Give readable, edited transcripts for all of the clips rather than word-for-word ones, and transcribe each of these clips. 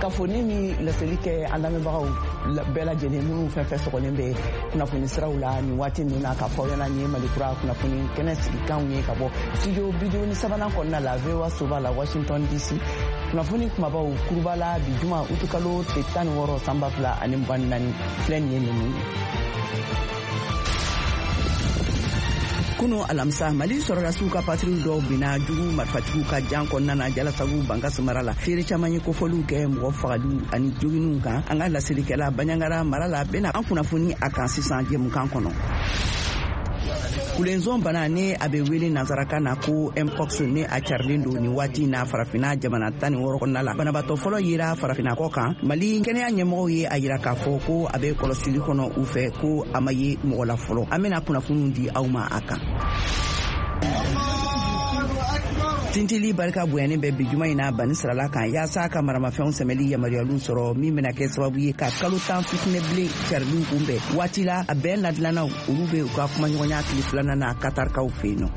Kunnafoni min laseli kɛ an lamɛnbagaw bɛɛ lajɛlen minnu fɛn fɛn sɔgɔlen bɛ kunnafoni siraw la nin waati ninnu na, k'a fɔ aw ɲɛna nin ye Malikura kunnafoni kɛnɛ sigikanw ye ka bɔ studio 53nan kɔnɔna la, VOA soba la, Washington DC. Kunnafoni kumabaw kuruba la bi juma utukalo tile 16 san 2024 filɛ nin ye ninnu ye. Kunu alamisa, Mali sɔrɔdasiw ka patrouille dɔw binna jugu marifatigiw ka jan kɔnɔna na Jalasagu, Bankasi mara la. Seere caman ye kofɔliw kɛ mɔgɔ fagaliw ani joginiw kan. An ka laselikɛla Banjagara mara la bena an kunnafoni a kan sisan jɛmukan kɔnɔ. Kulenzon bana, ni a bɛ wele nansarakan na ko mpox, ni a carilen don nin waati na Farafina jamana 16 kɔnɔna la, banabaatɔ fɔlɔ yera Farafina kɔ kan. Mali kɛnɛya ɲɛmɔgɔw ye a yira k'a fɔ ko a bɛ kɔlɔsili kɔnɔ u fɛ, ko a ma ye mɔgɔ la fɔlɔ. An bɛna kunnafoniw di aw ma a kan. Tintili barika bonyanen bɛ bi juma in na Bani Sirala kan, yaasa ka maramafɛnw sɛmɛli yamaruyaliw sɔrɔ, min bɛna kɛ sababu ye ka kalo 10 fitinɛ bilen cariliw kunbɛn. Waati la a bɛn ladilannaw, olu bɛ u ka kumaɲɔgɔnya tile filanan na Katarkaw fɛ yen nɔ.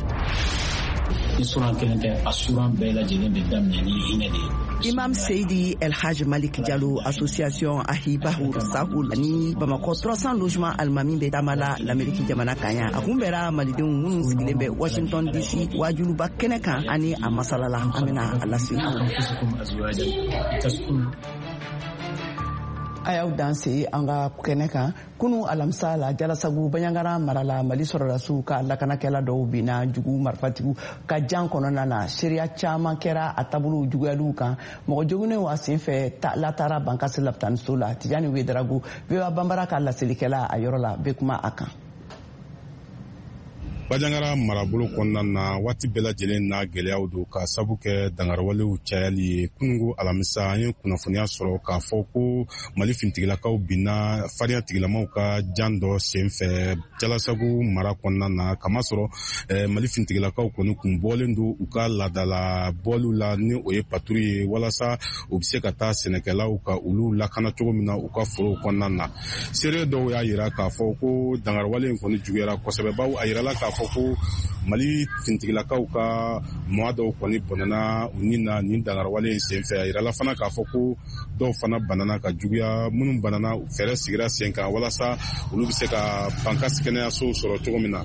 Ni suran kelen tɛ, a suran bɛɛ lajɛlen bɛ daminɛ ni hinɛ de ye. Imam Seydi El Hadj Malik Diallo, association Ahibahu Sahul ani Bamakɔ 300 logement alimami bɛ taama la l'Amérique jamana kan yan. A kunbɛra malidenw minnu sigilen bɛ Washington DC wajuluba kɛnɛ kan, ani a masala la, an bɛna a lase. A y'aw danse an ka kɛnɛ kan. Kunu alamisa la, Jalasagu, Banjagara mara la, Mali sɔrɔdasiw ka lakanakɛla dɔw binna jugu marifatigiw ka jan kɔnɔna na. Seereya caman kɛra a taabolow juguyaliw kan. Mɔgɔ joginnenw a senfɛ latara Bankasi lapitaniso la. Tijani Wedarago, VOA Banbara ka laselikɛla a yɔrɔ la, bɛ kuma a kan. Banjagara marabolo kɔnɔna na, waati bɛɛ lajɛlen na gɛlɛyaw don ka sabu kɛ dangariwalew cayali ye. Kunungo alamisa, an ye kunnafoniya sɔrɔ k'a fɔ ko Mali finitigilakaw binna farinya tigilamaw ka jan dɔ sen fɛ Jalasagu mara kɔnɔna na, kamasɔrɔ Mali finitigilakaw kɔni kun bɔlen don u ka laadala bɔliw la, ni o ye patrouille ye, walasa u bɛ se ka taa sɛnɛkɛlaw ka olu lakana cogo min na u ka forow kɔnɔna na. Seere dɔw y'a yira k'a fɔ ko dangariwale in kɔni juguyara kosɛbɛ, bawo a yirala k'a fɔ ko Mali finitigilakaw ka mɔgɔ dɔw kɔni bɔnɛna u ni na nin dangariwale in senfɛ. A yirala fana k'a fɔ ko dɔw fana banana ka juguya. Minnu banana, fɛɛrɛ sigira sen kan walasa olu bɛ se ka Bankasi kɛnɛyasow sɔrɔ cogo min na.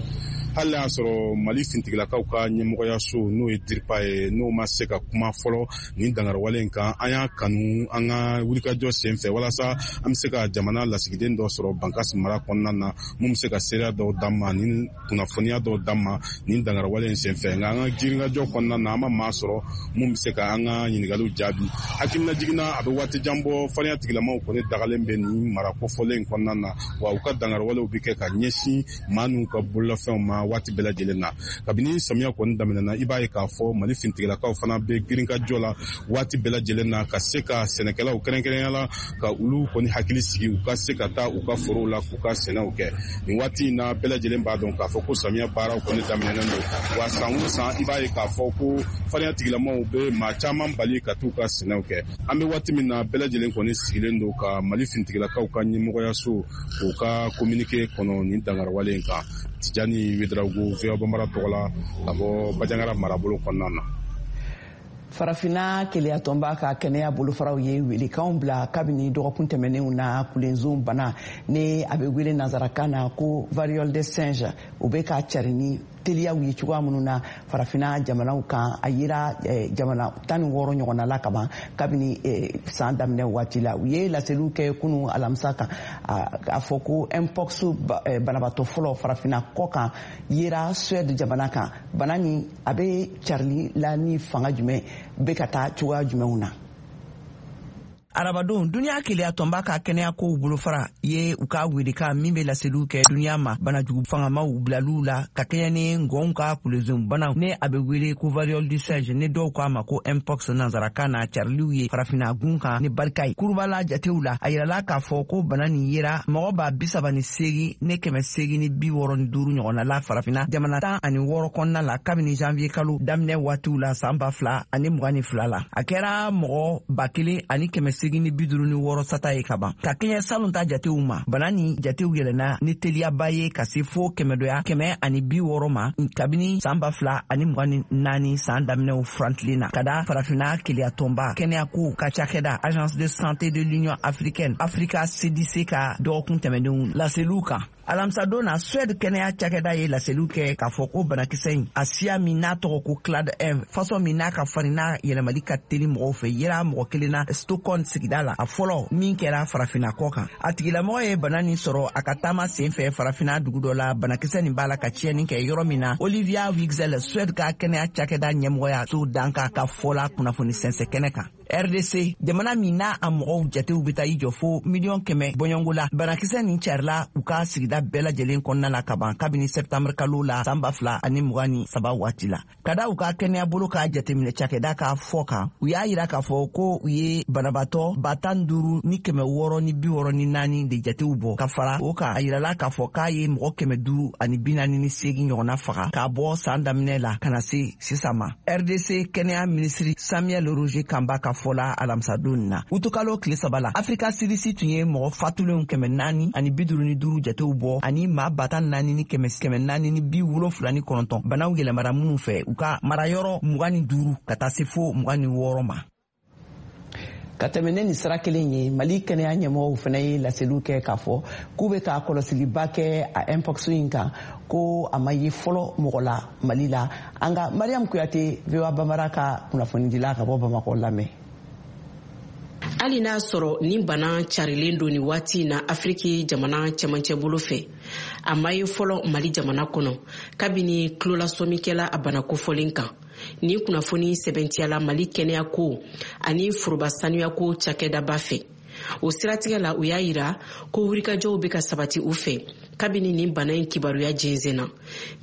Hali y'a sɔrɔ Mali finitigilakaw ka ɲɛmɔgɔyaso, n'o ye DIRPA ye, n'o ma se ka kuma fɔlɔ nin dangariwale in kan, an y'a kanu an ka wulikajɔ sen fɛ walasa an bɛ se ka jamana lasigiden dɔ sɔrɔ Bankasi mara kɔnɔna na, mun bɛ se ka seereya dɔw d'an ma ni kunnafoniya dɔw d'an ma nin dangariwale in senfɛ. Nka an ka girinkajɔ kɔnɔna na, an ma maa sɔrɔ mun bɛ se ka an ka ɲininkaliw jaabi. Hakilina jiginna, a bɛ waati jan bɔ, farinya tigilamaw kɔni dagalen bɛ nin mara kofɔlen in kɔnɔna na, wa u ka dangariwalew bɛ kɛ ka ɲɛsin maa n'u ka bololafɛnw ma waati bɛɛ lajɛlen na. Kabini samiya kɔni daminɛna, i b'a ye k'a fɔ Mali finitigilakaw fana bɛ girinkajɔ la waati bɛɛ lajɛlen na, ka se ka sɛnɛkɛlaw kɛrɛnkɛrɛnya la, ka olu kɔni hakili sigi u ka se ka taa u ka forow la k'u ka sɛnɛw kɛ. Nin waati in na, bɛɛ lajɛlen b'a dɔn k'a fɔ ko samiya baaraw kɔni daminɛnen don, wa san o san, i b'a ye k'a fɔ ko farinya tigilamaw bɛ maa caman bali ka t'u ka sɛnɛw kɛ. An bɛ waati min na, bɛɛ lajɛlen kɔni sigilen don ka Mali finitigilakaw ka ɲɛmɔgɔyaso k'u ka communiqué kɔnɔ nin dangariwale in kan. Tijani Wedarago, VOA Banbara tɔgɔ la, ka bɔ Banjagara marabolo kɔnɔna na. Farafinna keleyatɔnba ka kɛnɛya bolofaraw ye welekanw bila kabini dɔgɔkun tɛmɛnenw na. Kulenzon bana, ni a bɛ wele nansarakan na ko variole de singe, o bɛ ka cari ni teliyaw ye cogoya minnu na Farafinna jamanaw kan, a yera jamana 16 ɲɔgɔnna la kaban kabini san daminɛ waati la. U ye laseliw kɛ kunu alamisa kan, a fɔ ko mpox banabaatɔ fɔlɔ Farafinna kɔ kan yera Suède jamana kan. Bana nin a bɛ carili la ni fanga jumɛn, bɛ ka taa cogoya jumɛnw na? Arabadon, duniya keleya tɔnba ka kɛnɛya kow bolofara ye u ka welekan min bɛ laseliw kɛ duniya ma banajugu fangamaw bilaliw la ka kɛɲɛ ni ngɔnw ka kulezon bana, ni a bɛ wele ko variole du singe, ni dɔw k'a ma ko mpox nansarakan na, cariliw ye Farafinna gun kan ni barika ye. Kurubala jatew la, a yirala k'a fɔ ko bana nin yera mɔgɔ 38,865 ɲɔgɔnna la Farafinna jamana 16 kɔnɔna la kabini janvier kalo daminɛ waatiw la san 2022 la. A kɛra mɔgɔ 1,800 856 sata ye kaban. Ka kɛɲɛ salon ta jatew ma, bana ni jatew yɛlɛnna ni teliyaba ye ka se fo kɛmɛdoya 160 ma kabini san 2024 san daminɛw furantilen na, ka da Farafinna Keleyatɔnba kɛnɛyako ka cakɛda Agence de santé de l'Union africaine, Africa CDC, ka dɔgɔkun tɛmɛnenw laseliw kan. Alamisadon na, Suède kɛnɛya cakɛda ye laseliw kɛ k'a fɔ ko banakisɛ in, a siya min n'a tɔgɔ ko clade 1, fasɔn min n'a ka farin, n'a yɛlɛmali ka teli mɔgɔw fɛ, yera mɔgɔ kelen na Stockholm sigida la, a fɔlɔ min kɛra Farafinna kɔ kan. A tigilamɔgɔ ye bana nin sɔrɔ a ka taama sen fɛ Farafinna dugu dɔ la, banakisɛ nin b'a la ka tiɲɛni kɛ yɔrɔ min na. Olivia Wigzell, Suède ka kɛnɛya cakɛda ɲɛmɔgɔya so dankan ka fɔ la kunnafoni sɛnsɛn kɛnɛ kan. RDC, jamana min n'a a mɔgɔw jatew bɛ taa i jɔ fo 100 miliyɔn bɔɲɔngo la, banakisɛ nin carila u ka sigida bɛɛ lajɛlen kɔnɔna la kaban kabini sɛptanburu kalo la san 2023 waati la. Ka da u ka kɛnɛya bolo ka jateminɛ cakɛda ka fɔ kan, u y'a yira k'a fɔ ko u ye banabaatɔ 15,664 de jatew bɔ. Ka fara o kan, a yirala k'a fɔ k'a ye mɔgɔ 548 ɲɔgɔnna faga k'a bɔ saan daminɛ la ka na se sisan ma. RDC kɛnɛya minisiri Samuel Roger Kamba ka fɔ la alamisadon na, utukalo tile 3 la, Afrika CDC tun ye mɔgɔ fatulenw 455 jatew bɔ ani maa 14,479 banaw yɛlɛmara minnu fɛ u ka marayɔrɔ 25 ka taa se fo 26 ma. Ka tɛmɛ ne nin sira kelen ye, Mali kɛnɛya ɲɛmɔgɔw fana ye laseliw kɛ k'a fɔ k'u bɛ ka kɔlɔsiliba kɛ a mpox in kan, ko a ma ye fɔlɔ mɔgɔ la Mali la. An ka Mariam Kuyate, VOA Bambara ka kunnafonidila ka bɔ Bamakɔ, lamɛn. Hali n'a sɔrɔ nin bana carilen don nin waati na Afiriki jamana cɛmancɛ bolo fɛ, a ma ye fɔlɔ Mali jamana kɔnɔ kabini tulolasɔmikɛla a bana kofɔlen kan. Nin kunnafoni sɛbɛntiyala Mali kɛnɛyako ani foroba sanuyako cakɛdaba fɛ. O siratigɛ la, u y'a yira ko wulikajɔw bɛ ka sabati u fɛ kabini nin bana in kibaruya jɛnsɛnna.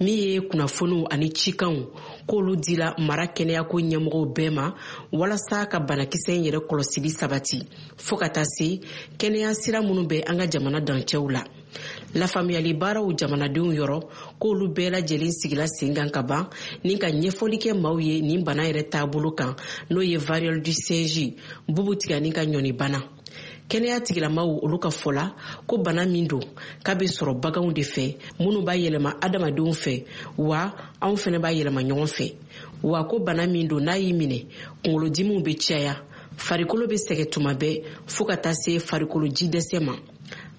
Min ye kunnafoniw ani cikanw k'olu dila mara kɛnɛyako ɲɛmɔgɔw bɛɛ ma walasa ka banakisɛ in yɛrɛ kɔlɔsili sabati, fɔɔ ka taa se kɛnɛya sira minnu bɛ an ka jamana dancɛw la, lafaamuyali baaraw jamanadenw yɔrɔ, k'olu bɛɛ lajɛlen sigila sen kan ka ban ni ka ɲɛfɔli kɛ maaw ye nin bana yɛrɛ taabolo kan, n'o ye variole du singe, bubu tigani ka ɲɔni bana. Kɛnɛya tigilamaw olu ka fɔ la ko bana min don k'a bɛ sɔrɔ baganw de fɛ minnu b'a yɛlɛma adamadenw fɛ, wa anw fɛnɛ b'a yɛlɛma ɲɔgɔn fɛ, wa ko bana min don, n'a y'i minɛ, kunkolodimiw bɛ caya, farikolo bɛ sɛgɛ tuma bɛɛ, fɔɔ ka taa se farikolo ji dɛsɛ ma.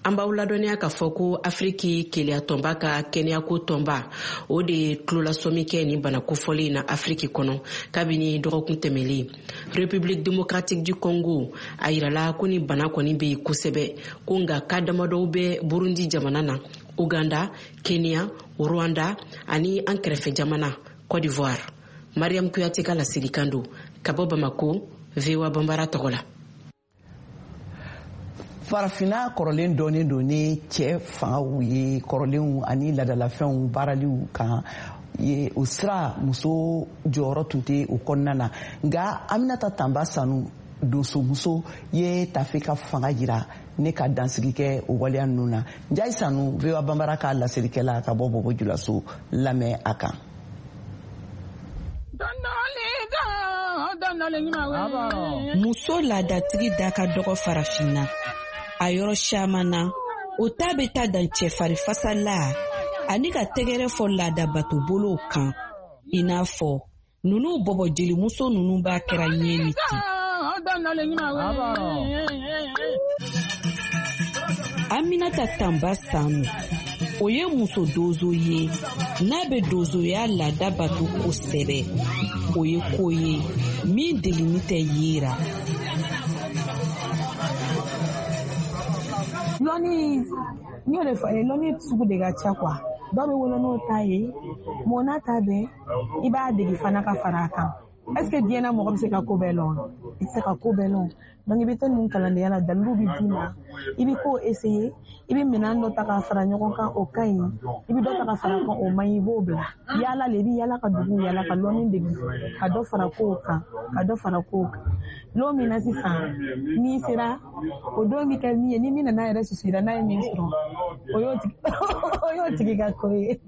An b'aw ladɔnniya k'a fɔ ko Afiriki Keleyatɔnba ka kɛnɛyako tɔnba, o de ye tulolasɔmi kɛ nin bana kofɔlen na Afiriki kɔnɔ kabini dɔgɔkun tɛmɛlen. République Démocratique du Congo, a yirala ko ni bana kɔni bɛ yen kosɛbɛ, ko nka ka damadɔw bɛ Burundi jamana na, Uganda, Kenya, Rwanda ani an kɛrɛfɛ jamana Côte d'Ivoire. Mariam Kuyate ka laselikan don ka bɔ Bamako, VOA Bambara tɔgɔ la. Farafinna kɔrɔlen dɔnnen don ni cɛ fangaw ye kɔrɔlenw ani ladalafɛnw baaraliw kan ye. O sira, muso jɔyɔrɔ tun tɛ o kɔnɔna na. Nka Aminata Tanba Sanu, donsomuso ye, tafe ka fanga jira ne ka dansigi kɛ o waleya ninnu na. Njayi Sanu, VOA Bambara ka laselikɛla ka bɔ Bɔbɔ Julaso, lamɛn a kan. Muso laadatigi da ka dɔgɔ Farafinna a yɔrɔ caman na. O ta bɛ taa dan cɛfarifasala ani ka tɛgɛrɛ fɔ laadabato bolow kan, i n'a fɔ nunu bɔbɔ jelimuso nunu b'a kɛra ɲɛ ni ten. Aminata Tanba Sanu, o ye muso donso ye n'a bɛ donsoya laada bato kosɛbɛ. O ye ko ye min delini tɛ yera. Lɔnni, n y'o de fɔ, lɔnni sugu de ka ca quoi. Dɔw bɛ wolo n'o ta ye, mɔ n'a ta bɛɛ, i b'a degi fana ka fara a kan. Est ce que diɲɛ na mɔgɔ bɛ se ka ko bɛɛ lɔn? I tɛ se ka ko bɛɛ lɔn. Donc i bɛ taa ninnu kalandenya la, daliluw bɛ d'i ma, i bɛ ko essayer, i bɛ minɛn dɔ ta k'a fara ɲɔgɔn kan, o ka ɲi, i bɛ dɔ ta ka fara kan, o man ɲi, i b'o bila. Yaala le, i bɛ yaala ka dugu yaala ka lɔnni degi, ka dɔ fara kow kan, ka dɔ fara kow kan. Lon min na sisan n'i sera, o don bɛ kɛ min ye, ni min nana yɛrɛ susira n'a ye min sɔrɔ, o y'o tigi ka ko ye.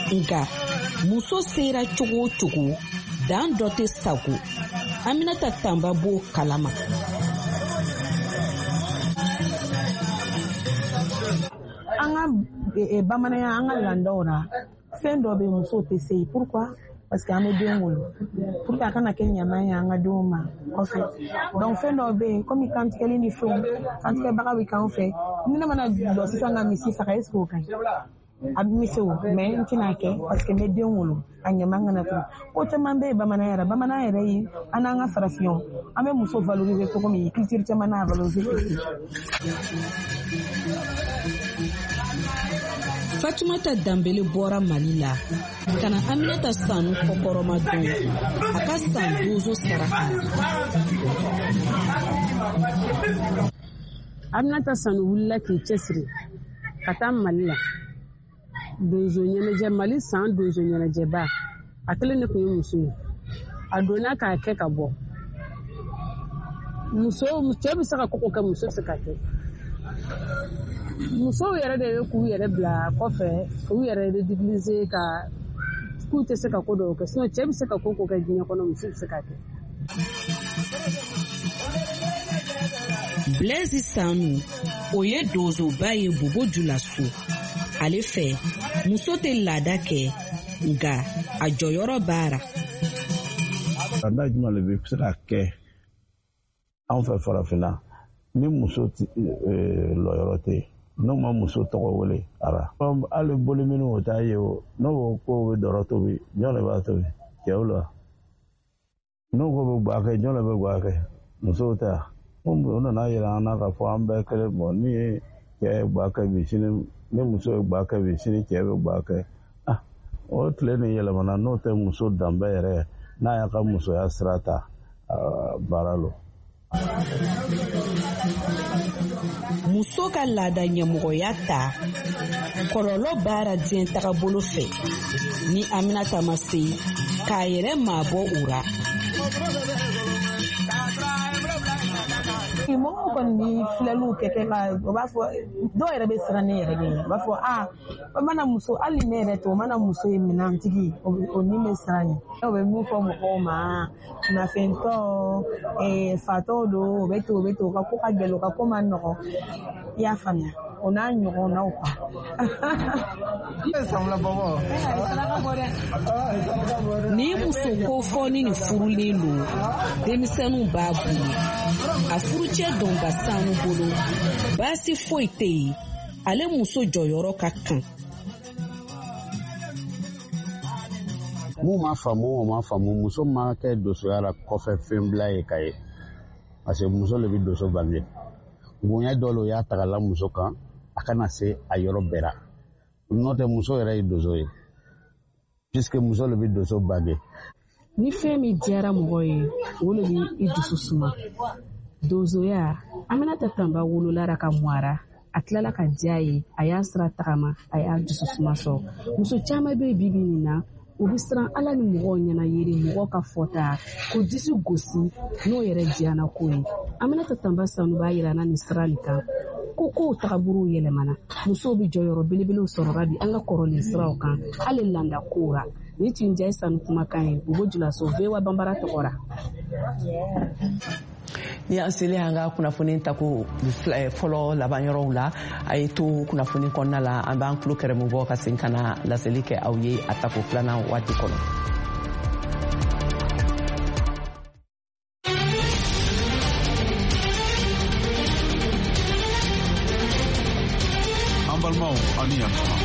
Nka muso sera cogo o cogo, dan dɔ tɛ sago. Aminata Tanba b'o kalama. An ka bamananya, an ka laadaw la, fɛn dɔ bɛ musow tɛ se. Pourquoi? Parce que an bɛ den wolo pour que a kana kɛ ɲama ye an ka denw ma kɔfɛ. Donc fɛn dɔw bɛ yen, komi kantigɛli ni fɛnw, kantigɛbaga bɛ k'anw fɛ. Ni ne mana jɔ sisan ka misi faga, est ce que o ka ɲi? A bɛ se o, mais n tɛna kɛ parce que n bɛ den wolo, a ɲama kana to. Ko caman bɛ yen bamananya yɛrɛ, bamananya yɛrɛ ye an n'an ka farafinw, an bɛ muso valoriser cogo min, culture caman n'a valoriser ten. Fatumata Danbele bɔra Mali la ka na Aminata Sanu kɔkɔrɔma don a ka san donso saraka la. Aminata Sanu wulila k'i cɛsiri ka taa Mali la. Donso ɲɛnajɛ, Mali san donso ɲɛnajɛba, a kelen de tun ye muso ye. A donna k'a kɛ ka bɔ. Muso, cɛ bɛ se ka koko kɛ, muso bɛ se ka kɛ. Musow yɛrɛ de bɛ k'u yɛrɛ bila kɔfɛ, k'u yɛrɛ ridiculiser, ka k'u tɛ se ka ko dɔw kɛ. Sinon cɛ bɛ se ka ko ko kɛ diɲɛ kɔnɔ, muso bɛ se ka kɛ. Blaise Sanu, o ye donsoba ye Bobo Julaso. Ale fɛ, muso tɛ laada kɛ, nka a jɔyɔrɔ b'a la. Laada jumɛn de bɛ se ka kɛ anw fɛ farafinna ni muso lɔyɔrɔ tɛ yen, n'o ma muso tɔgɔ wele ara? Hali boli minnu o t'a ye o, n'o ko k'o bɛ dɔrɔ tobi, jɔn de b'a tobi? Cɛw la. N'o ko bɛ guwa kɛ, jɔn de bɛ guwa kɛ? Musow tɛ yan. O nana yira an na k'a fɔ an bɛɛ kelen. Bɔn, ni ye cɛ ye guwa kɛ bi, sini ni muso ye guwa kɛ bi, sini cɛ bɛ guwa kɛ. O tile nin yɛlɛmana. N'o tɛ, muso danbe yɛrɛ, n'a y'a ka musoya sira ta, baara lo. Muso ka laada ɲɛmɔgɔya ta, kɔlɔlɔ b'a diɲɛ tagabolo fɛ ni Aminata ma se k'a yɛrɛ mabɔ o ra. Mɔgɔw kɔni bɛ filɛliw kɛ kɛ ka, o b'a fɔ, dɔw yɛrɛ bɛ siran ne yɛrɛ de ɲɛ. U b'a fɔ aa, o mana muso, hali ne yɛrɛ tɛ, o mana muso ye minɛntigi, o ni bɛ siran ɲɛ. O bɛ mun fɔ mɔgɔw ma? Nafɛntɔ, fatɔw don, o bɛ ten, o bɛ ten, o ka ko ka gɛlɛn, o ka ko ma nɔgɔn. I y'a faamuya, o n'a ɲɔgɔnnaw quoi. Ni muso kofɔni nin furulen don, denmisɛnninw b'a bolo. A furucɛ Dɔnba Sanu bolo, baasi foyi tɛ yen, ale muso jɔyɔrɔ ka kan. Mun ma faamu, o ma faamu. Muso ma kɛ donsoya la kɔfɛ fɛn bila ye ka ye, parce que muso le bɛ donso bange. Bonya dɔ le o y'a ta ka la muso kan, a kana se a yɔrɔ bɛɛ la. N'o tɛ, muso yɛrɛ ye donso ye, puisque muso le bɛ donso bange. Ni fɛn min diyara mɔgɔ ye, o de bɛ i dusu suma. Donsoya, Aminata Tanba wolola ka mɔ a tilala ka diya ye, a y'a sira tagama, a y'a dusu suma sɔrɔ. Muso caman bɛ bi bi nin na, u bɛ siran ala ni mɔgɔw ɲɛna yiri, mɔgɔw ka fɔta ko disi gosi n'o yɛrɛ diyana ko ye. Aminata Tanba Sanu b'a yira na nin sira nin kan ko kow tagabolow yɛlɛmana, musow bɛ jɔyɔrɔ belebelew sɔrɔra bi an ka kɔrɔlen siraw kan, hali landa kow ra. Ni tun Njayi Sanu kumakan ye Bobo Julaso, VOA Banbara tɔgɔ ra. Ni an selen an ka kunnafoni tako fɔlɔ laban yɔrɔw la, a ye to kunnafoni kɔnɔna la, an b'an tulo kɛrɛmu bɔ ka segin ka na laseli kɛ aw ye a tako filanan waati kɔnɔ. An balimaw, aw ni yantuma.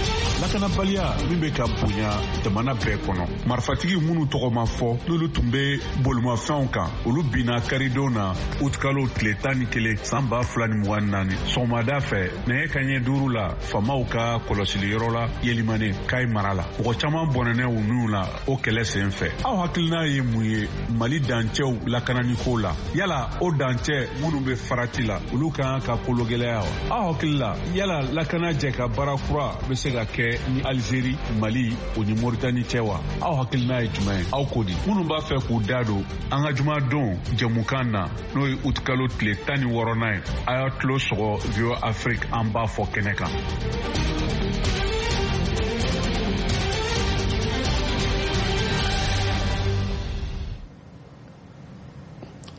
Lakanabaliya min bɛ ka bonya jamana bɛɛ kɔnɔ, marifatigi minnu tɔgɔ ma fɔ, n'olu tun bɛ bolimafɛnw kan, olu binna karidon na, utikalo tile 11 san 2024, sɔgɔmada fɛ nɛgɛ kaɲɛ 5 la, faamaw ka kɔlɔsiliyɔrɔ la Yelimane, Kayi mara la. Mɔgɔ caman bɔnɛnɛ u niw la o kɛlɛ sen fɛ. Aw hakilina ye mun ye Mali dancɛw lakananiko la? Yala o dancɛ minnu bɛ farati la, olu ka kan ka kologɛlɛya wa? Aw hakili la, yala lakana jɛ ka baara kura bɛ se ka kɛ ni Alizeri, Mali o ni Moritani cɛ wa? Aw hakilina ye jumɛn ye? Aw ko di? Minnu b'a fɛ k'u da don an ka jumadon jɛmukan na, n'o ye utikalo tile 16nan ye, a y'a tulo sɔgɔ VOA Afrique an b'a fɔ kɛnɛ kan.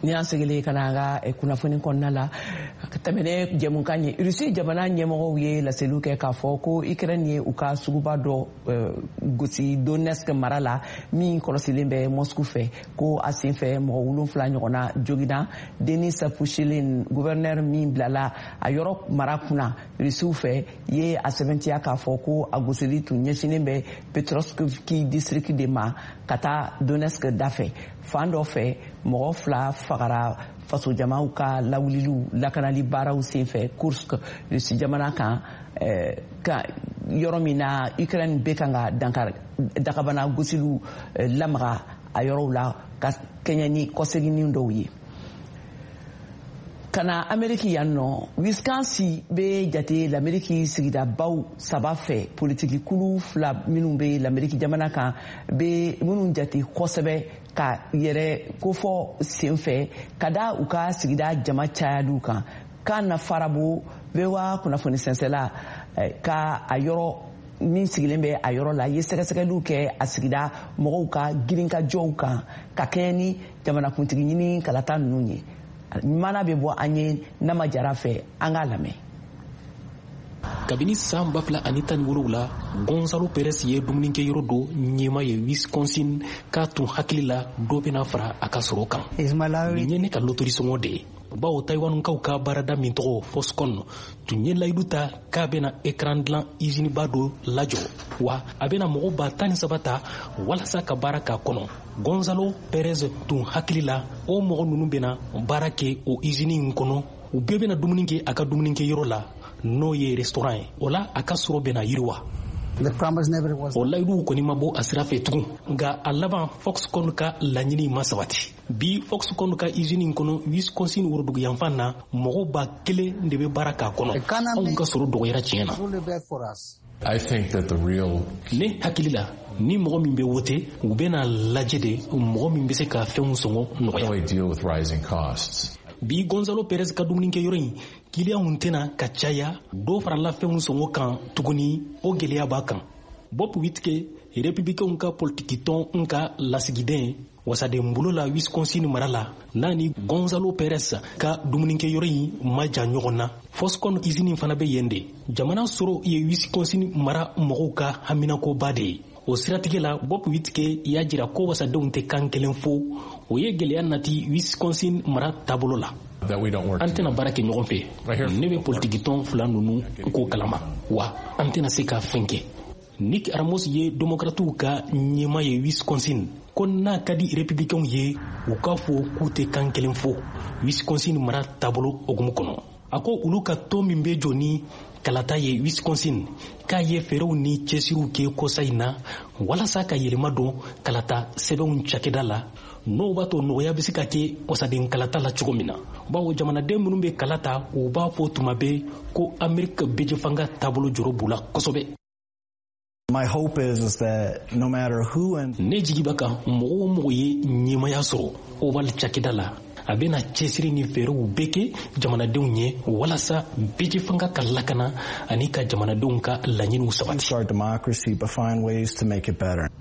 Ni an segilen ka na an ka kunnafoni kɔnɔna la, ka tɛmɛ jɛmukan ye, Rusi jamana ɲɛmɔgɔw ye laseliw kɛ k'a fɔ ko Ukraine ye u ka suguba dɔ gosi Donetsk mara la, min kɔlɔsilen bɛ Moscou fɛ, ko a senfɛ mɔgɔ 7 ɲɔgɔnna joginna. Denis Pushilin, gouverneur min bilala a yɔrɔ mara kunna Rusiw fɛ, ye a sɛbɛntiya k'a fɔ ko a gosili tun ɲɛsinnen bɛ Petrovski district de ma ka taa Donetsk dafɛ fan dɔ fɛ. Mɔgɔ 2 fagara fasojamaw ka lawuliliw lakanali baaraw senfɛ Kursk, Rusi jamana kan, ka yɔrɔ min na Ukraine bɛ kan ka dakabana gosiliw lamaga a yɔrɔw la ka kɛɲɛ ni kɔseginni dɔw ye. Ka na Ameriki yan nɔ, Wisconsin bɛ jate Lameriki sigidabaw 3 fɛ, politiki kulu 2 minnu bɛ Lameriki jamana kan bɛ minnu jate kosɛbɛ ka yɛrɛ kofɔ senfɛ ka da u ka sigida jama cayaliw kan. Kan Farabo, VOA kunnafoni sɛnsɛla ka a yɔrɔ min sigilen bɛ a yɔrɔ la, ye sɛgɛsɛgɛliw kɛ a sigida mɔgɔw ka girinkajɔw kan ka kɛɲɛ ni jamanakuntigi ɲini kalata ninnu ye. Mana bɛ bɔ an ye Nama Jara fɛ, an k'a lamɛn. Kabini san 2017, Gonzalo Perez ye dumunikɛyɔrɔ dɔ ɲɛma ye Wisconsin, k'a tun hakili la dɔ bɛna fara a ka sɔrɔ kan. Nin ye ne ka lotori sɔngɔ de ye, bawo Taïwankaw ka baarada min tɔgɔ Foxconn tun ye layidu ta k'a bɛna écran dilan usiniba dɔ lajɔ, wa a bɛna mɔgɔ 13,000 ta walasa ka baara k'a kɔnɔ. Gonzalo Perez tun hakili la o mɔgɔ ninnu bɛna baara kɛ o usine in kɔnɔ, u bɛɛ bɛna dumuni kɛ a ka dumunikɛyɔrɔ la, n'o ye restaurant ye, o la a ka sɔrɔ bɛna yiriwa. O layiduw kɔni ma bɔ a sira fɛ tugun, nka a laban Foxconn ka laɲini ma sabati. Bi, Foxconn ka usine in kɔnɔ Wisconsin woroduguyanfan na, mɔgɔ 1000 de bɛ baara k'a kɔnɔ. Anw ka sɔrɔ dɔgɔyara tiɲɛ na. Ne hakili la, ni mɔgɔ min bɛ wote, u bɛna lajɛ de mɔgɔ min bɛ se ka fɛnw sɔngɔ nɔgɔya. Bi, Gonzalo Perez ka dumunikɛyɔrɔ in kiliyanw tɛna ka caya, dɔ farala fɛnw sɔngɔ kan tuguni, o gɛlɛya b'a kan. Bob Wittke, Republicainw ka politikitɔn ka lasigiden wasadenbolo la Wisconsin mara la, n'a ni Gonzalo Perez ka dumunikɛyɔrɔ in ma jan ɲɔgɔn na, Foxconn usine fana bɛ yen de. Jamana sɔrɔ ye Wisconsin mara mɔgɔw ka haminakoba de ye. O siratigɛ la, Bob Wittke y'a jira ko wasadenw tɛ kan kelen fɔ, o ye gɛlɛya nati Wisconsin mara taabolo la. An tɛna baara kɛ ɲɔgɔn fɛ. Ne bɛ politikitɔn 2 ninnu ko kalama, wa an tɛna se ka fɛn kɛ. Nick Ramos ye Demokratiw ka ɲɛma ye Wisconsin, ko n'a ka di Republicainw ye, u k'a fɔ k'u tɛ kan kelen fɔ Wisconsin mara taabolo hokumu kɔnɔ. A ko olu ka tɔn min bɛ jɔ ni kalata ye Wisconsin, k'a ye fɛɛrɛw ni cɛsiriw kɛ kɔsa in na walasa ka yɛlɛma don kalata sɛbɛnw cakɛda la, n'o b'a to nɔgɔya bɛ se ka kɛ wasaden kalata la cogo min na, bawo jamanaden minnu bɛ kala ta, u b'a fɔ tuma bɛɛ ko Amerika bɛjɛfanga taabolo jɔrɔ b'u la kosɛbɛ. Ne jigi b'a kan, mɔgɔ o mɔgɔ ye ɲɛmaya sɔrɔ Oval cakɛda la, a bɛna cɛsiri ni fɛɛrɛw bɛɛ kɛ jamanadenw ye walasa bɛjɛfanga ka lakana ani ka jamanadenw ka laɲiniw sabati.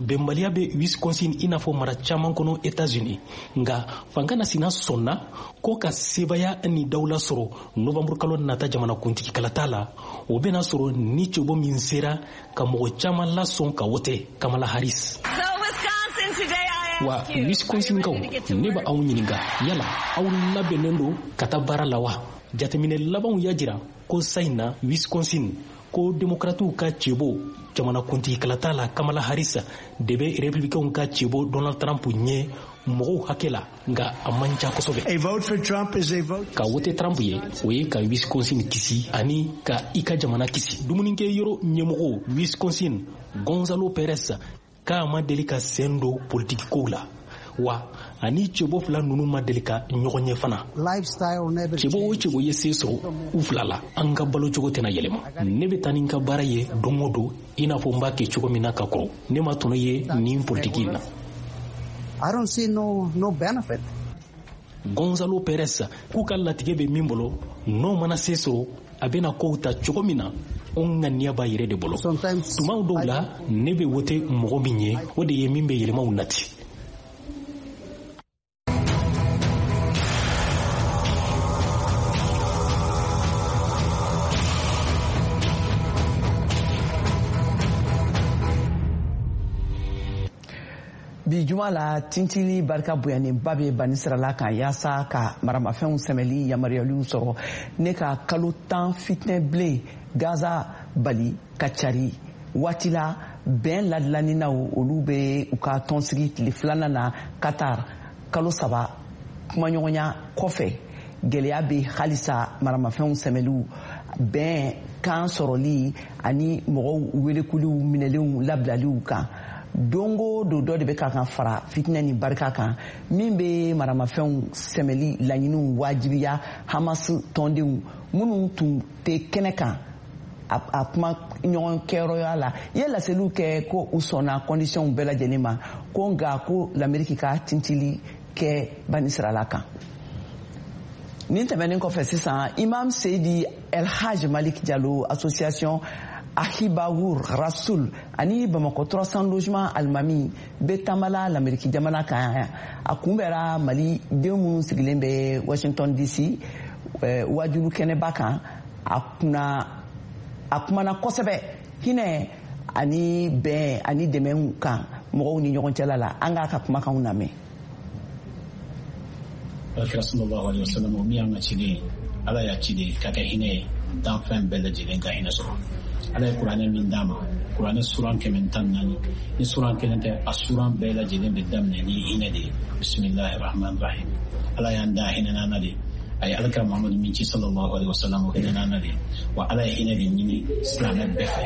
Bɛnbaliya bɛ Wisconsin i n'a fɔ mara caman kɔnɔ États-Unis, nka fanga na sina sɔnna ko ka sebaya ni dawula sɔrɔ novembre kalo nata jamanakuntigi kalata la, o bɛna sɔrɔ ni cɛbɔ min sera ka mɔgɔ caman lasɔn ka wote, Kamala Harris. Wa Wisconsinkaw, ne bɛ aw ɲininka, yala aw labɛnnen don ka taa baara la wa? Jateminɛ labanw y'a jira ko sa in na Wisconsin, ko Demokratiw ka cɛbɔ jamanakuntigi kalata la Kamala Harris de bɛ Republicainw ka cɛbɔ Donald Trump ɲɛ mɔgɔw hakɛ la, nka a man ca kosɛbɛ. Ka wote Trump ye, o ye ka Wisconsin kisi ani ka i ka jamana kisi. Dumunikɛ yɔrɔ ɲɛmɔgɔ Wisconsin, Gonzalo Perez, k'a ma deli ka sen don politiki kow la, wa ani cɛbɔ 2 ninnu ma deli ka ɲɔgɔn ye fana. Cɛbɔ o cɛbɔ ye se sɔrɔ u 2 la, an ka balo cogo tɛna yɛlɛma. Ne bɛ taa ni n ka baara ye don o don i n'a fɔ n b'a kɛ cogo min na ka kɔrɔ. Ne ma tɔnɔ ye nin politiki in na. Gonzalo Perez k'u ka latigɛ bɛ min bolo, n'o mana se sɔrɔ, a bɛna kow ta cogo min na, o ŋaniya b'a yɛrɛ de bolo. Tuma dɔw la, ne bɛ wote mɔgɔ min ye, o de ye min bɛ yɛlɛmaw nati. Bi juma la, tintili barika bonyanenba bɛ banisirala kan yaasa ka maramafɛnw sɛmɛli yamaruyaliw sɔrɔ ne ka kalo 10 fitinɛ bilen Gaza bali ka cari. Waati la, bɛn ladilaninaw olu bɛ u ka tɔnsigi tile filanan na Qatar, kalo 3 kumaɲɔgɔnya kɔfɛ. Gɛlɛya bɛ halisa maramafɛnw sɛmɛliw, bɛn kan sɔrɔli ani mɔgɔw welekuliw minɛlenw labilaliw kan. Don o don, dɔ de bɛ ka kan fara fitinɛ ni barika kan min bɛ maramafɛnw sɛmɛli laɲiniw wajibiya. Hamas tɔndenw minnu tun tɛ kɛnɛ kan a kuma ɲɔgɔn kɛyɔrɔya la, i ye laseliw kɛ ko u sɔnna conditions bɛɛ lajɛlen ma, ko nka ko Lamɛriki ka tintili kɛ banisirala kan. Nin tɛmɛnen kɔfɛ sisan, Imam Seydi El Haj Malik Jalo, association Ahibawur Rasul ani Bamakɔ 300 logement alimami, bɛ taamala Lameriki jamana kan. A kunbɛra Mali den minnu sigilen bɛ Washington DC wajulu kɛnɛba kan. A kunna, a kumana kosɛbɛ hinɛ ani bɛn ani dɛmɛw kan mɔgɔw ni ɲɔgɔn cɛla la. An k'a ka kumakanw lamɛn. Alakira sallallahu alaihi wasallam, o min y'an ka ciden ye, Ala y'a ci de ka kɛ hinɛ ye, danfɛn bɛɛ lajɛlen ka hinɛ sɔrɔ. Ala ye Kuranɛ min d'a ma, Kuranɛ suran 114, ni suran kelen tɛ, a suran bɛɛ lajɛlen bɛ daminɛ ni hinɛ de ye: bisimilahi rahman rahim. Ala y'an da hinɛ n'an na de. A ye Alakira Muhamadu min ci sallallahu alaihi wasallam, o hinɛ n'an na de. Wa Ala ye hinɛ de ɲini silamɛ bɛɛ fɛ,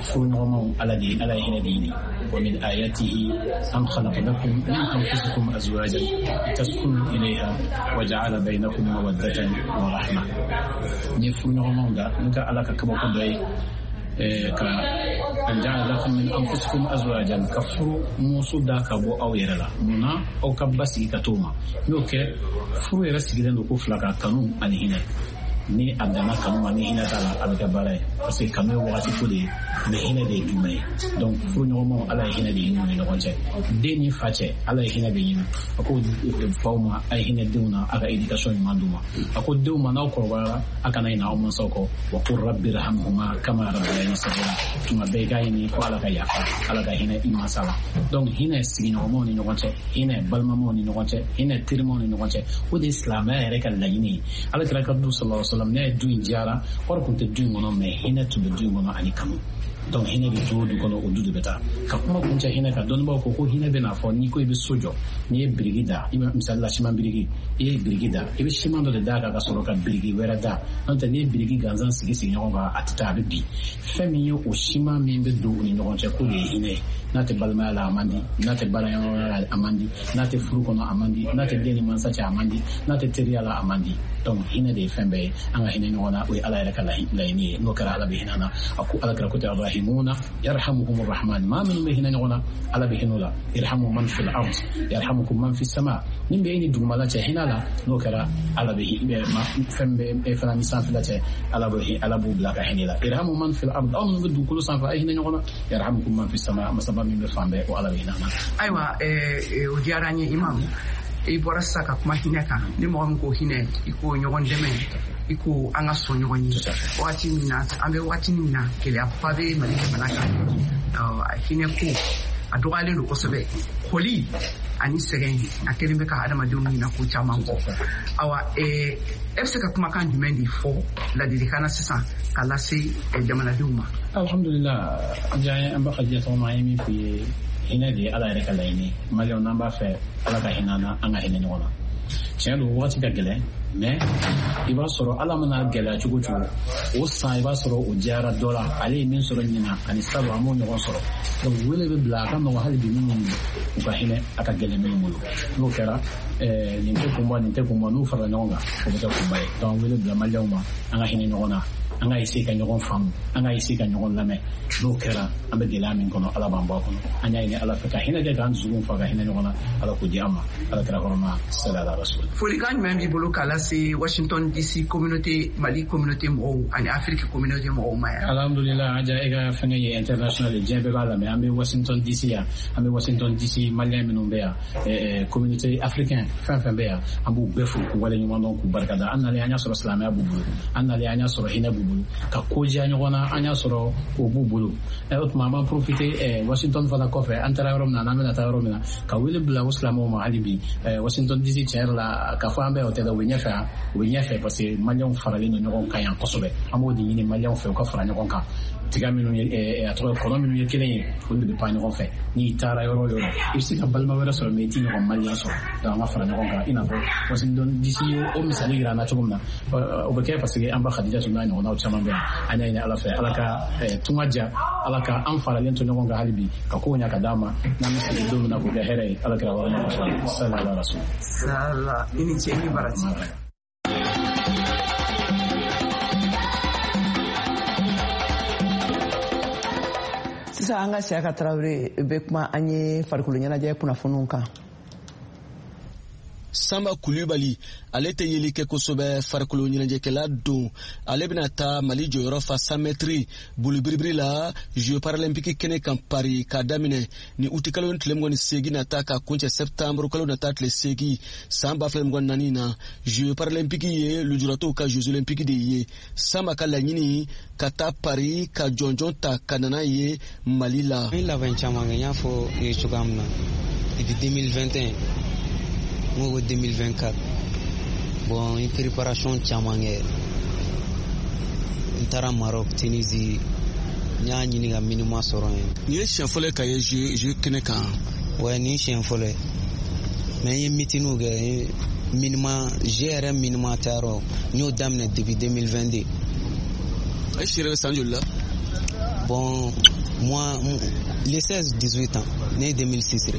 furuɲɔgɔnmaw. Ala de, Ala ye hinɛ de ɲini: wa min ayatihi an khalaqa lakum min anfusikum azwajan litaskunu ilayha wa ja'ala bainakum mawaddatan wa rahma. Ni furuɲɔgɔnmaw da n ka Ala ka kabako dɔ ye ka an ja'ala lakum min anfusikum azwajan, ka furu muso da ka bɔ aw yɛrɛ la. Mun na? Aw ka basigi ka t'o ma. N'o kɛ, furu yɛrɛ sigilen don ko fila kan: kanu ani hinɛ. Ni a danna kanu ma, ni hinɛ t'a la, a bɛ kɛ baara ye, parce que kanu ye wagati ko de ye, mais hinɛ de ye jumɛn ye? Donc furuɲɔgɔnmaw, Ala ye hinɛ de ɲini u ni ɲɔgɔn cɛ. Den ni fa cɛ, Ala ye hinɛ de ɲini. A ko faw ma: a ye hinɛ denw na, a ka éducation ɲuman d'u ma. A ko denw ma: n'aw kɔrɔbayara, a kana ɲinɛ aw mansaw kɔ: wa qul rabbi irhamhuma kama rabbayani saghira. Tuma bɛɛ i k'a ɲini ko Ala ka yafa, Ala ka hinɛ i mansa la. Donc hinɛ sigiɲɔgɔnmaw ni ɲɔgɔn cɛ, hinɛ balimamaw ni ɲɔgɔn cɛ, hinɛ terimaw ni ɲɔgɔn cɛ, o de ye silamɛya yɛrɛ ka laɲini ye. Ala kira ka du sallallahu alaihi wasallam, n'a ye du in diyara, wari tun tɛ du in kɔnɔ, mais hinɛ tun bɛ du in kɔnɔ ani kanu. Donc hinɛ bɛ du o du kɔnɔ, o du de bɛ taa. Ka kuma kuncɛ hinɛ kan, dɔnnibaaw ko ko hinɛ bɛ n'a fɔ n'i ko i bɛ so jɔ, n'i ye biriki da, i bɛ misali la siman biriki, i ye biriki da, i bɛ siman dɔ de d'a kan ka sɔrɔ ka biriki wɛrɛ da. N'o tɛ, n'i ye biriki gansan sigi sigi ɲɔgɔn kan, a tɛ taa, a bɛ bin. Fɛn min ye o siman min bɛ don u ni ɲɔgɔn cɛ, k'o de ye hinɛ ye. N'a tɛ balimaya la, a man di. N'a tɛ baaraɲɔgɔnya la, a man di. N'a tɛ furu kɔnɔ, a man di. N'a tɛ den ni mansa cɛ, a man di. N'a tɛ teriya la, a man di. Donc hinɛ de ye fɛn bɛɛ ye. An ka hinɛ ɲɔgɔn na, o ye Ala yɛrɛ ka laɲini ye. N'o kɛra, Ala bɛ hinɛ an na. A ko, Ala kira ko tɛ: arrahimuna yarhamuhum rahman. Maa minnu bɛ hinɛ ɲɔgɔn na, Ala bɛ hinɛ o la. Irhamu man fil ard yarhamukum man fis sama. Min bɛ e ni dugumala cɛ hinɛ la, n'o kɛra, Ala bɛ fɛn bɛ e fana ni sanfɛla cɛ, Ala bɛ, Ala b'u bila ka hinɛ la. Irhamu man fil ard, aw minnu bɛ dugukolo sanfɛ, a ye hinɛ ɲɔgɔn na, yarhamukum man fis sama, masaba min bɛ fan bɛɛ, o Ala bɛ hinɛ an na. Ayiwa, o diyara n ye. Imam, i bɔra sisan ka kuma hinɛ kan. Ni mɔgɔ min ko hinɛ, i ko ɲɔgɔn dɛmɛ, i ko an ka sɔn ɲɔgɔn ye. Wagati min na an bɛ, wagati min na gɛlɛyaba bɛ Mali jamana kan, hinɛ ko a dɔgɔyalen don kosɛbɛ. Kɔli ani sɛgɛn a kɛlen bɛ ka adamadenw ɲina ko caman kɔ. Awa, e bɛ se ka kumakan jumɛn de fɔ ladilikan na sisan ka lase jamanadenw ma? Alhamdulillah, an b'a ka diɲɛ tɔgɔma. An ye min f'i ye, hinɛ de ye Ala yɛrɛ ka laɲini. Maliyɛnw, n'an b'a fɛ Ala ka hinɛ an na, an ka hinɛ ɲɔgɔn na. Tiɲɛ don, wagati ka gɛlɛn, mais i b'a sɔrɔ Ala mana gɛlɛya cogo cogo, o san i b'a sɔrɔ o diyara dɔ la. Ale ye min sɔrɔ ɲina ani salon, an m'o ɲɔgɔn sɔrɔ. Donc wele bɛ bila, a ka nɔgɔn hali bi minnu u ka hinɛ, a ka gɛlɛn minnu bolo. N'o kɛra, nin tɛ kunba, nin tɛ kunba, n'u farala ɲɔgɔn kan, o bɛ kɛ kunba ye. Donc wele bila Maliyɛnw ma, an ka hinɛ ɲɔgɔn na, an ka essayer ka ɲɔgɔn faamu, an ka essayer ka ɲɔgɔn lamɛn. N'o kɛra, an bɛ gɛlɛya min kɔnɔ, Ala b'an bɔ a kɔnɔ. An y'a ɲini Ala fɛ ka hinɛ kɛ k'an dusukun fa, ka hinɛ ɲɔgɔn na. Ala k'o di an ma. Ala kira kɔrɔma sali ala rasul. Folikan jumɛn b'i bolo k'a lase Washington DC communauté, Mali communauté mɔgɔw ani Afrique communauté mɔgɔw ma yan? Alhamdulillah, Aja, e ka fɛngɛ ye international ye, diɲɛ bɛɛ b'a lamɛn. An bɛ Washington DC yan, an bɛ Washington DC Malien minnu bɛ yan, communauté africain fɛn fɛn bɛ yan, an b'u bɛɛ fo k'u waleɲuman dɔn, k'u barikada. An nalen, an y'a sɔrɔ silamɛya b'u bolo. An nalen, an y'a sɔrɔ hinɛ b'u bolo. bolo, ka ko diya ɲɔgɔn na, an y'a sɔrɔ o b'u bolo. O tuma an b'an profiter Washington fana kɔfɛ, an taara yɔrɔ min na, n'an bɛna taa yɔrɔ min na, ka wele bila o silamɛw ma hali bi. Washington DC tiɲɛ yɛrɛ la, k'a fɔ an bɛɛ o tɛ dɛ, u bɛ ɲɛfɛ yan, u bɛ ɲɛfɛ parce que maliyɛnw faralen don ɲɔgɔn kan yan kosɛbɛ. An b'o de ɲini maliyɛnw fɛ, u ka fara ɲɔgɔn kan. Tiga minnu ye, a tɔgɔ kɔnɔ minnu ye kelen ye, olu de bɛ pan ɲɔgɔn fɛ. N'i taara yɔrɔ o yɔrɔ, i bɛ se ka balima wɛrɛ sɔrɔ, mais i t'i ɲɔgɔn maliyɛn sɔrɔ. Donc an ka fara ɲɔgɔn kan, i n'a fɔ Washington DC ye o misali yira an na cogo min na, o bɛ kɛ parce que an ba Khadija n'a ɲɔgɔnnaw caman bɛ yan. An y'a ɲini Ala fɛ, Ala ka tunga diya, Ala ka an faralen to ɲɔgɔn kan hali bi, ka kow ɲɛ ka d'an ma, n'an bɛ segin don min na k'o kɛ hɛrɛ ye. Ala kɛra wɔɔrɔ kosɔn. Sallallahu alaihi wasallam. Sala, i ni ce, i ni baraji. Sisan an ka Siyaka Tarawele bɛ kuma an ye farikolo ɲɛnajɛ kunnafoniw kan. Samba Kulubali, ale tɛ yeli kɛ kosɛbɛ, farikolo ɲɛnajɛkɛla don. Ale bɛna taa Mali jɔyɔrɔ fa 100 mètres bolibiribiri la Jeux paralympiques kɛnɛ kan Paris, k'a daminɛ ni utikalo tile 28 nata ka kuncɛ septembre kalo nata tile 8 san 2024 na. Jeux paralympiques ye lujuratɔw ka Jeux olympiques de ye. Samba ka laɲini ka taa Paris ka jɔnjɔn ta ka nana ye Mali la. N ye labɛn caman kɛ, n y'a fɔ i ye cogoya min na, depuis 2021 n ko 2024, bon n ye préparation caman kɛ. N taara Maroc, Tunisie, n y'a ɲini ka minima sɔrɔ yen. Nin ye siɲɛ fɔlɔ ye ka ye jeu kɛnɛ kan? Ouais, nin ye siɲɛ fɔlɔ ye, mais n ye meetingiw kɛ, n ye minima jeu yɛrɛ minima tayɔrɔ, n y'o daminɛ depuis 2022. E si yɛrɛ bɛ san joli la? Bon, moi, les 16 18 ans, ne ye 2006 de.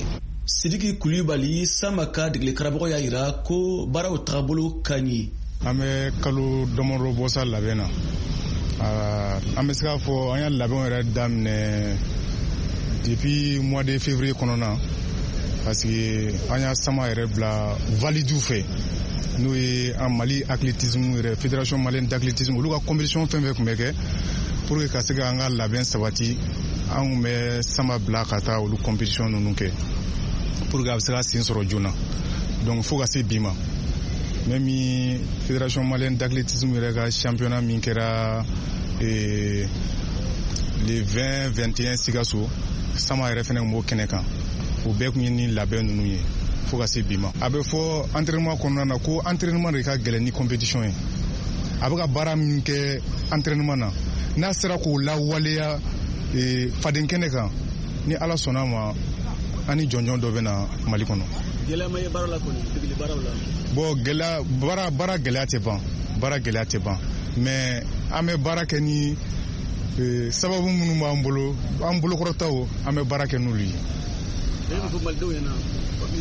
Sidiki Kulubali, Samba ka degeli karamɔgɔ y'a yira ko baaraw tagabolo ka ɲi. An bɛ kalo damadɔ bɔ sa labɛn na. An bɛ se k'a fɔ an y'a labɛnw yɛrɛ daminɛ depuis mois de février kɔnɔna, parce que an y'a sama yɛrɛ bila validiw fɛ, n'o ye an Mali athlétisme yɛrɛ, fédération malienne d'athlétisme, olu ka compétition fɛn fɛn tun bɛ kɛ pour que ka se k'an ka labɛn sabati, an tun bɛ sama bila ka taa olu compétition ninnu kɛ pour que a bɛ se ka sen sɔrɔ joona. Donc fo ka se bi ma, même fédération malienne d'athlétisme yɛrɛ ka championnat min kɛra le 20 21 Sikaso, Sama yɛrɛ fɛnɛ tun b'o kɛnɛ kan. O bɛɛ tun ye ni labɛn ninnu ye fo ka se bi ma. A bɛ fɔ entraînement kɔnɔna na ko entraînement de ka gɛlɛn ni compétition ye. A bɛ ka baara min kɛ entraînement na, n'a sera k'o lawaleya faden kɛnɛ kan, ni Ala sɔnna ma, an ni jɔnjɔn dɔ bɛ na Mali kɔnɔ. Gɛlɛya ma ye baara la kɔni, degeli baaraw la? Bon, gɛlɛya, baara gɛlɛya tɛ ban, baara gɛlɛya tɛ ban, mais an bɛ baara kɛ ni sababu minnu b'an bolo, an bolokɔrɔtaw, an bɛ baara kɛ n'olu ye. E bɛ fɔ malidenw ɲɛna,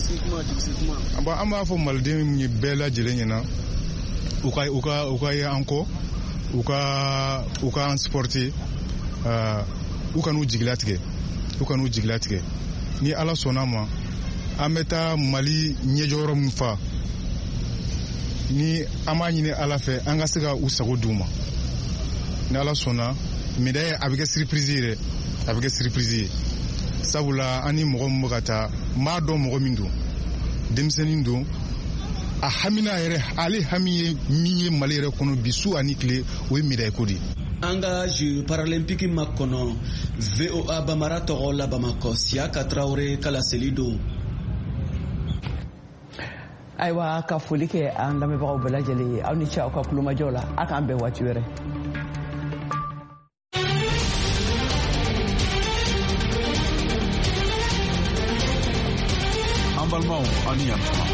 sigi kuma, jigi kuma. An b'a fɔ malidenw ye bɛɛ lajɛlen ɲɛna, u ka ye an kɔ, u ka an supporter, u kan'u jigilatigɛ, u kan'u jigilatigɛ. Ni Ala sɔnna ma, an bɛ taa Mali ɲɛjɔyɔrɔ min fa, ni an b'a ɲini Ala fɛ an ka se ka u sago d'u ma. Ni Ala sɔnna, médaille a bɛ kɛ surprise ye dɛ, a bɛ kɛ surprise ye. Sabula an ni mɔgɔ min bɛ ka taa, n b'a dɔn mɔgɔ min don, denmisɛnnin don, a hamina yɛrɛ, ale hami ye min ye Mali yɛrɛ kɔnɔ bi su ani tile, o ye médaille ko de ye. An ka Jeux paralympiques makɔnɔ, VOA Bamara tɔgɔ la Bamakɔ, Siyaka Tarawele ka laseli don. Ayiwa, ka foli kɛ an lamɛnbagaw bɛɛ lajɛlen ye. Aw ni ce aw ka kulomajɔ la. A k'an bɛn waati wɛrɛ. An balimaw, aw ni yan tuma.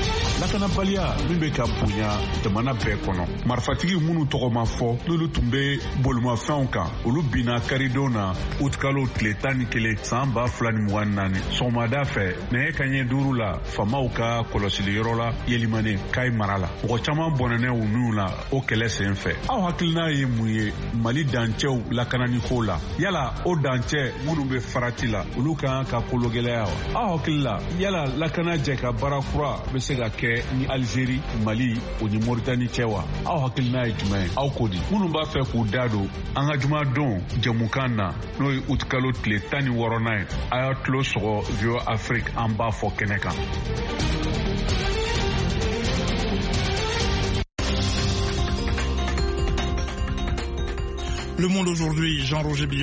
Lakanabaliya min bɛ ka bonya jamana bɛɛ kɔnɔ, marifatigi minnu tɔgɔ ma fɔ, n'olu tun bɛ bolimafɛnw kan, olu binna karidon na utikalo tile 11 san 2024 sɔgɔmada fɛ nɛgɛ kanɲɛ 5 la, faamaw ka kɔlɔsili yɔrɔ la Yelimane, Kayi mara la. Mɔgɔ caman bɔnɛnɛ u niw la o kɛlɛ sen fɛ. Aw hakilina ye mun ye Mali dancɛw lakanani ko la? Yala o dancɛ minnu bɛ farati la, olu kan ka kologɛlɛya wa? Aw hakili la, yala lakana jɛ ka baara kura bɛ se ka kɛ ni Algérie, Mali o ni Mauritanie cɛ wa? Aw hakilina ye jumɛn ye? Aw ko di? Minnu b'a fɛ k'u da don an ka jumadon jɛmukan na, n'o ye utikalo tile 16nan ye, a y'a tulo sɔgɔ VOA Afrique, an b'a fɔ kɛnɛ kan. Le Monde aujourd'hui, Jean-Roger Billon.